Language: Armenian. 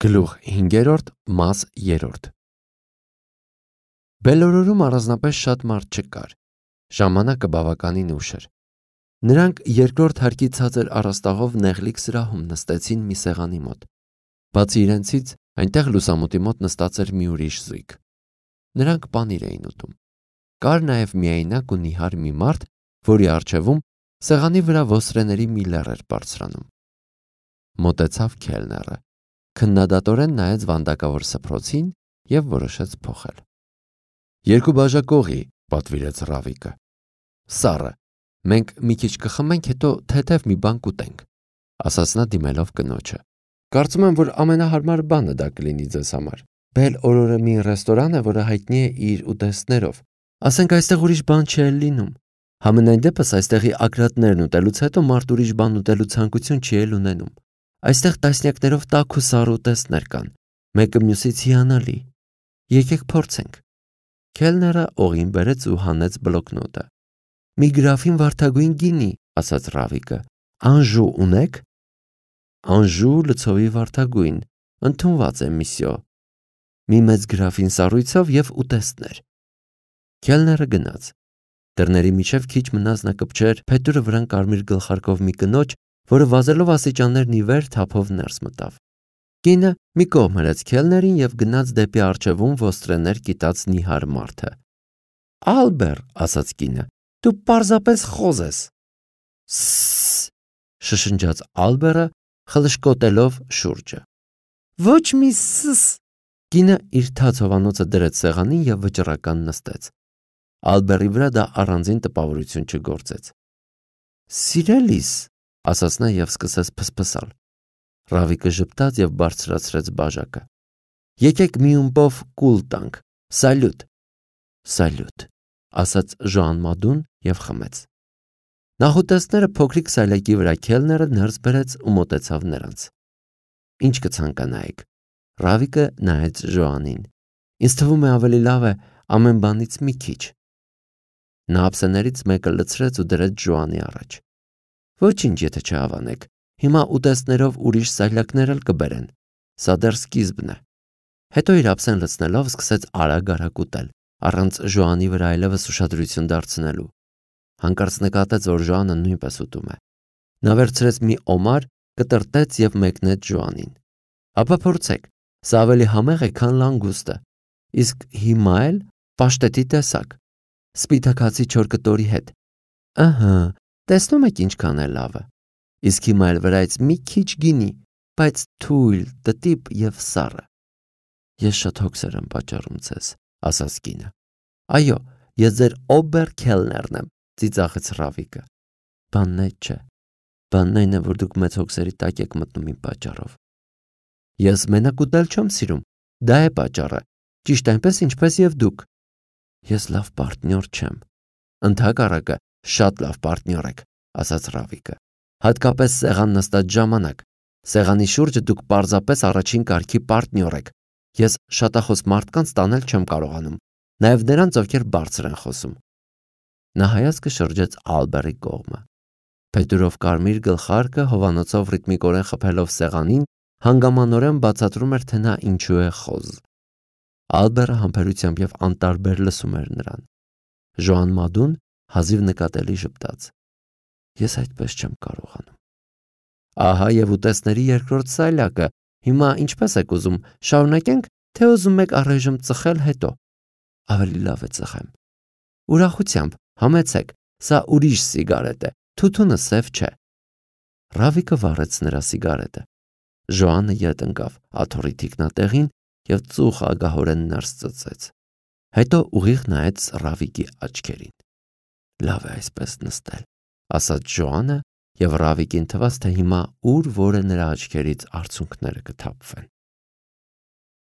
Գլուխ 5-րդ, մաս 3։ Բելորորում առանձնապես շատ մարդ չկար։ Ժամանակը բավականին ուշ էր։ Նրանք երկրորդ հարկի ցածր առաստաղով նեղլիկ սրահում նստեցին մի սեղանի մոտ։ Բացի իրենցից, այնտեղ լուսամուտի մոտ նստած էր մի ուրիշ զույգ։ Նրանք պանիր էին ուտում։ Կար նաև միայնակ ու նիհար մի մարդ, որի առջևում սեղանի վրա ոսրեների մի լեռ էր բարձրանում։ Մոտեցավ քելները, քննադատորեն նայեց վանդակավոր սփռոցին և որոշեց փոխել։ «Երկու բաժակողի», պատվիրեց Ռավիկը։ «Սառը, մենք մի քիչ կխմենք, հետո թեթև մի բան կուտենք», ասաց նա դիմելով կնոջը։ «Կարծում եմ, որ ամենահարմար բանը դա կլինի ձեզ համար։ Բել-Օրորը մի ռեստորան է, որը հայտնի է իր ուտեստներով։ Ասենք այստեղ ուրիշ բան չի էլ լինում։ Համենայն դեպս այստեղի ակրատներն ուտելուց հետո մարդ ուրիշ բան ուտելու ցանկություն չի էլ ունենում։ Այստեղ տասնյակներով տաք ու սառը ուտեստներ կան, մեկը մյուսից հիանալի։ Եկեք փորձենք»։ Քելները օղին բերեց ու հանեց բլոկնոտը։ «Մի գրաֆին վարդագույն գինի», ասաց Ռավիկը։ «Անժու ունեք»։ «Անժու լցովի վարդագույն, ընդունված է, միսյո»։ «Մի մեծ գրաֆին սառույցով և ուտեստներ»։ Քելները գնաց։ Դռների միջև քիչ մնաց նա կպչեր փետուրը վրան կարմիր գլխարկով մի կնոջ, որը վազելով աստիճաններն ի վեր թափով ներս մտավ։ Կինը մի կողմ հրեց քելներին և գնաց դեպի առջևում ոստրեներ կիտած նիհար մարդը։ «Ալբեր», ասաց կինը, «դու պարզապես խոզ ես»։ «Սսս», շշնջաց Ալբերը, խլշկոտելով շուրջը։ «Ոչ մի սս»։ Կինը իր թաց հովանոցը դրեց սեղանին և վճռական նստեց։ Ալբերի վրա դա առանձին տպավորություն չգործեց։ «Սիրելիս», ասաց նա և սկսեց փսփսալ։ Ռավիկը ժպտաց և բարձրացրեց բաժակը։ «Եկեք մի ումպով կուլ տանք, սալյուտ»։ «Սալյուտ», ասաց Ժոան-Մադուն և խմեց։ Նախուտեստները փոքրիկ սալյակի վրա քելները ներս բերեց ու մոտեցավ նրանց։ «Ինչ կցանկանայիք»։ Ռավիկը նայեց Ժոանին։ «Ինձ թվում է ավելի լավ է ամեն բանից մի քիչ»։ Նա ափսեներից մեկը լցրեց ու դրեց Ժոանի առաջ։ «Ոչինչ, եթե չհավանեք, հիմա ուտեստներով ուրիշ սալյակներ էլ կբերեն։ Սա դեռ սկիզբն է»։ Հետո իր ափսեն լցնելով սկսեց արագ ուտել, առանց Ժոանի վրա այլևս ուշադրություն դարձնելու։ Հանկարծ նկատեց, որ Ժոանը նույնպես ուտում է։ Նա վերցրեց մի օմար, կտրտեց և մեկնեց Ժոանին։ «Ապա փորձեք, սա ավելի համեղ է, քան լանգուստը։ Իսկ հիմա էլ պաշտետի տեսակ, սպիտակ հացի 4 կտորի հետ։ Ըհը, տեսնում եք ինչքան է լավը։ Իսկ հիմա էլ վրայից մի քիչ գինի, բայց թույլ, տտիպ և սառը»։ «Ես շատ հոգսեր եմ պատճառում ձեզ», ասաց կինը։ «Այո, ես ձեր օբեր քելներն եմ», ծիծաղեց Ռավիկը։ «Բանն այդ չէ։ Բանն այն է, որ դուք մեծ հոգսերի տակ եք մտնում իմ պատճառով։ Ես մենակ ուտել չեմ սիրում, դա է պատճառը, ճիշտ այնպես, ինչպես և դուք։ Ես լավ պարտնյոր չեմ»։ «Ընդհակառակը, շատ լավ պարտնյոր եք», ասաց Ռավիկը։ «Հատկապես սեղան նստած ժամանակ։ Սեղանի շուրջը դուք պարզապես առաջին կարգի պարտնյոր եք։ Ես շատախոս մարդկանց տանել չեմ կարողանում, նաև նրանց, ովքեր բարձր են խոսում»։ Նա հայացքը շրջեց Ալբերի կողմը։ Փետուրով կարմիր գլխարկը հովանոցով ռիթմիկորեն խփելով սեղանին հանգամանորեն բացատրում էր, թե նա ինչու է խոզ։ Ալբերը համբերությամբ և անտարբեր լսում էր նրան։ Ժոան-Մադուն հազիվ նկատելի ժպտաց։ «Ես այդպես չեմ կարողանում»։ «Ահա և ուտեստների երկրորդ սալյակը։ Հիմա ինչպես եք ուզում, շարունակենք, թե ուզում եք առայժմ ծխել հետո»։ «Ավելի լավ է ծխեմ»։ «Ուրախությամբ, համեցեք, սա ուրիշ սիգարետ է, թութունը սև չէ»։ Ռավիկը վառեց նրա սիգարետը։ Ժոանը ետ ընկավ աթոռի թիկնատեղին և ծուխ ագահորեն ներս ծծեց։ Հետո ուղիղ նայեց Ռավիկի աչքերին։ «Լավ է այսպես նստել», ասաց Ժոանը, և Ռավիկին թվաց, թե հիմա ուր որը նրա աչքերից արցունքները կթափվեն։